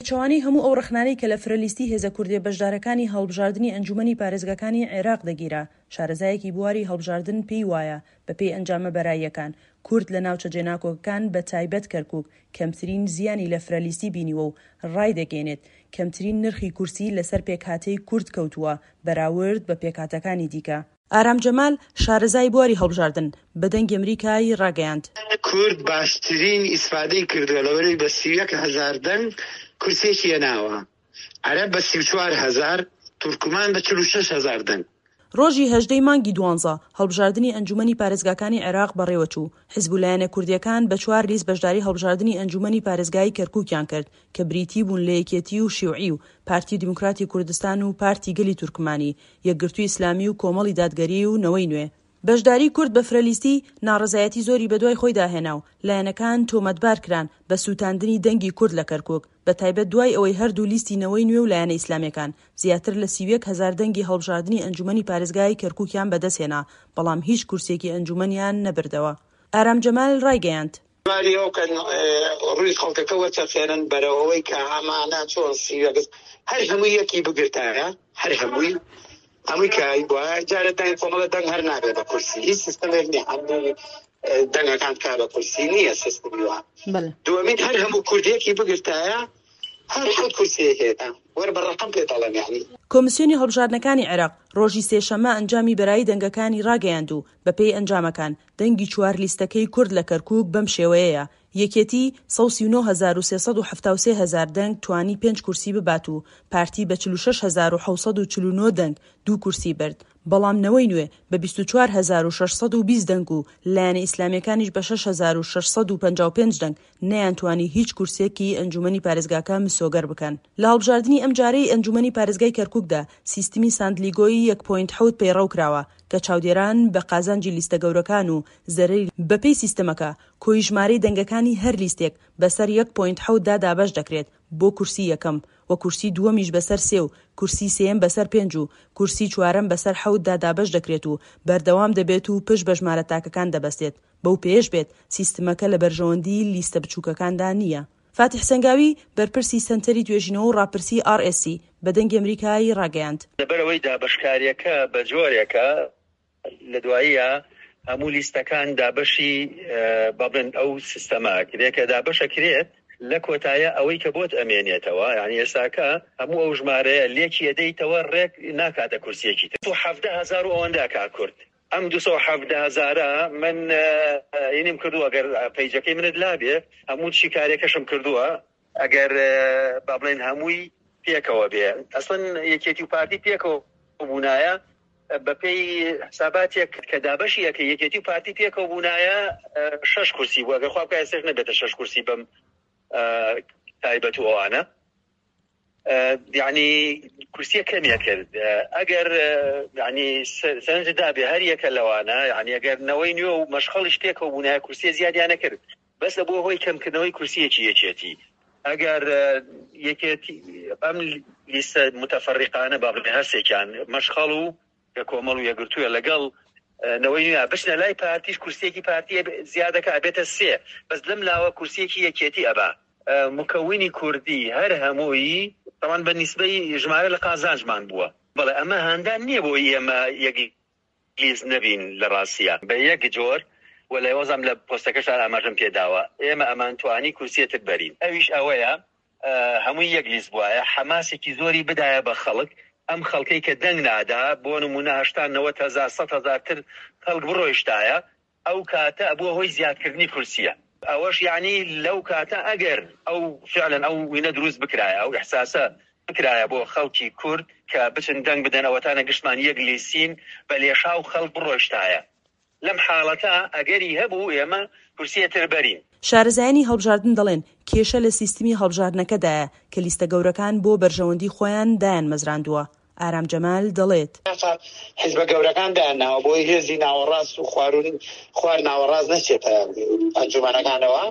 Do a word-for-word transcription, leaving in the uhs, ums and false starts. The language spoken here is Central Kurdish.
پێچەوانەی هەموو ئەو ڕەخنانەی کە لە فرەلیستی هێزە کوردییە بەشدارەکانی هەڵبژاردنی ئەنجوومەنی پارێزگاکانی عێراق دەگیرا، شارەزایەکی بواری هەڵبژاردن پێی وایە بەپێی ئەنجامە بەراییەکان، کورد لە ناوچە جێناکۆکەکان بە تایبەت کەرکوک کەمترین زیانی لە فرەلیستی بینیوە و ڕایدەگەینێت، کەمترین نرخی کورسی لەسەر پێکهاتەی کورد کەوتووە بەراورد بە پێکهاتەکانی دیکە. ئارام جەمال، شارەزای بواری هەڵبژاردن، بە دەنگی ئەمریکای ڕاگەیاند. کورد باشترین ئیسفادەی کردووە لەبەرئەوەی بە سی و یەک هەزار دەنگ کورسیەکی هێناوە، عەرەب بە سی و چوار هەزار، تورکمان بە چل و شەش هەزار دەنگ. ڕۆژی هەژدە ی مانگی دوانزە، هەڵبژاردنی ئەنجوومەنی پارێزگاکانی عێراق بەڕێوەچوو، حزب و لایەنە کوردییەکان بە چوار لیست بەشداری هەڵبژاردنی ئەنجوومەنی پارێزگای کەرکووکیان کرد کە بریتی بوون لە یەکێتی و شیوعی و پارتی دیموکراتی کوردستان و پارتی گەلی تورکمانی، یەکگرتووی ئیسلامی و کۆمەڵی دادگەری و نەوەی نوێ. بەشداری کورد بە فرەلیستی، ناڕەزایەتی زۆری بەدوای خۆیدا هێنا و لایەنەکان تۆمەتبار کران بە سووتاندنی دەنگی کورد لە کەرکووک، بەتایبەت دوای ئەوەی هەردوو لیستی نەوەی نوێ و لایەنە ئیسلامییەکان زیاتر لە سی و یەک هەزار دەنگی هەڵبژاردنی ئەنجوومەنی پارێزگای کەرکووکیان بەدەستهێنا، بەڵام هیچ کورسییەکی ئەنجوومەنیان نەبردەوە. ئارام جەمال ڕایگەیاند. باری ئەو کەن ڕووی خەڵکەکە وەچەرخێنن بەرەو ئەوەی کە ئەمانە چۆن سی و یەک هەر هەمووی یەکی بگرتایە هەر هەمووی هەمووی کە بوایە جارێ دەنگ کۆمەڵە دەنگ هەر نابێ بە کورسی هیچ سیستەمێک نییە هەموو دەنگەکان بکا بە کورسی نییە سیستمی وا دووەمین هەر هەموو کوردیەکی بگرتایە هەر حەوت کورسیەک هێنا وەر بە ڕەقەم پێ دەڵێم یانی. کۆمسیۆنی هەڵبژاردنەکانی عێراق ڕۆژی سێشەممە ئەنجامی بەرایی دەنگەکانی ڕاگەیاند و بەپێی ئەنجامەکان دەنگی چوار لیستەکەی کورد لە کەرکوک بەم شێوەیەیە، یەکێتی سەد و سی و نۆ هەزار و سێ سەد و حەفتا و سێ هەزار دەنگ توانی پێنج کورسی ببات و پارتی بە چل و شەش هەزار و حەوت سەد و چل و نۆ دەنگ دوو کورسی برد، بەڵام نەوەی نوێ بە بیست و چوار هەزار و شەش سەد و بیست دەنگ و لایەنە ئیسلامییەکانیش بە شەش هەزار و شەش سەد و پەنجا و پێنج دەنگ نەیانتوانی هیچ کورسییەکی ئەنجومەنی پارێزگاکە مسۆگەر بکەن. لە هەڵبژاردنی ئەمجارەی ئەنجومەنی پارێزگای کەرکوکدا سیستمی ساندلیگۆی یەک point حەوت پەیڕەو کراوە کە چاودێران بە قازانجی لیستە گەورەکان و زەرەری بەپێی سیستمەکە کۆی ژمارەی دەنگەکانی هەر لیستێک بەسەر یەک point حەوت دا دابەش دەکرێت بۆ کورسی یەکەم و کورسی دووەمیش بەسەر سێ و کورسی سێیەم بەسەر پێنج و کورسی چوارەم بەسەر حەوت دا دابەش دەکرێت و بەردەوام دەبێت و پشت بە ژمارە تاکەکان دەبەستێت بەو پێیەش بێت سیستمەکە لە بەرژەوەندی لیستە بچووکەکاندا نییە. فاتیح سەنگاوی، بەرپرسی سەنتەری توێژینەوە و ڕاپرسی ئاڕ ئێس سی، بە دەنگی ئەمریکای ڕاگەیاند. لەبەرئەوەی دابەشکارییەکە بەجۆرێکە لە دواییا هەموو لیستەکان دابەشی با بڵێن ئەو سیستەمە ئەکرێ کە دابەش ئەکرێت لە کۆتایە ئەوەی کە بۆت ئەمێنێتەوە یانی ئێستاکە هەموو ئەو ژمارەیە لێکی ئەدەیتەوە ڕێک ناکاتە کورسیەکی تر و حەڤدە هەزار و ئەوەندە ئەکا کورد ئەم دوو سەد و حەڤدە هەزارە من هینیم کردووە گەر پەیجەکەی منت لابێ هەموو شیکارێکەشم کردووە ئەگەر با بڵێن هەمووی پێکەوە بێ ئەسڵەن یەکێتی و پارتی پێکەوە بوونایە بەپێی حساباتێک کە دابەشی ئەکەی یەکێتی و پارتی پێکەوە بوونایە شەش کورسی بوو ئەگەر خوا بکا ئێستاش نەبێتە شەش کورسی بەم تایبەت و ئەوانە یعنی کورسیە کەمیە کرد ئەگەر یعنی سەرنج دابێ هەر یەکە لەوانە یعنی ئەگەر نەوەی نوێ و مەشخەڵیش پێکەوە بوونایە کورسیە زیادیانە کرد بەس ئەبووە هۆی کەمکردنەوەی کورسیەکی یەکێتی ئەگەر یەکێتی ئەم لیستە متەفەڕیقانە با بڵێ هەرسێکیان مەشخەڵ و کە کۆمەڵ و یەکگرتووە لەگەڵ نەوەی نوێ بچنە لای پارتیش کورسیەکی پارتی زیادەکە ئەبێتە سێ بەس لەم لاوە کورسیەکی یەکێتی ئەبا. مکەونی کوردی هەر هەمووی تەبعەن بە نیسبەی ژمارە لە قازانجمان بووە. بەڵێ ئەمە هاندان نییە بۆ ئێمە یەک لیست نەبین لە ڕاستیا بە یەک جۆر و لە وەزام لە پۆستەکەشا ئاماژەم پێ داوە ئێمە ئەمانتوانی کورسیە تر بەرین ئەویش ئەوەیە هەمووی یەک لیست بوایە حەماسێکی زۆری بدایە بە خەڵک ئەم خەڵکەی کە دەنگ نادا بۆ نموونە هەشتا نەوەت هەزار سەد هەزار تر خەڵک بڕۆیشتایە ئەو کاتە ئەبووە هۆی زیادکردنی کورسیە ئەوەش یانی لەو کاتە ئەگەر ئەو فعلەن ئەو وینە دروست بکرایە ئەو ئیحساسە بکرایە بۆ خەڵکی کورد کە بچن دەنگ بدەن ئەوەتانە گشتمان یەک لیستین بە لێشاو خەڵک بڕۆیشتایە لەم حاڵەتە ئەگەری هەبوو ئێمە کورسیە تر بەرین. شارەزایانی هەڵبژاردن دەڵێن، کێشە لە سیستمی هەڵبژاردنەکەدایە کە لیستە گەورەکان بۆ بەرژەوەندی خۆیان دایانمەزراندووە. ئارام جەمال دەڵێت. حیزبە گەورەکان دایانناوە بۆی هێزی ناوەڕاست و خواروون خوار ناوەڕاست نەچێتە ئەنجومەنەکانەوە.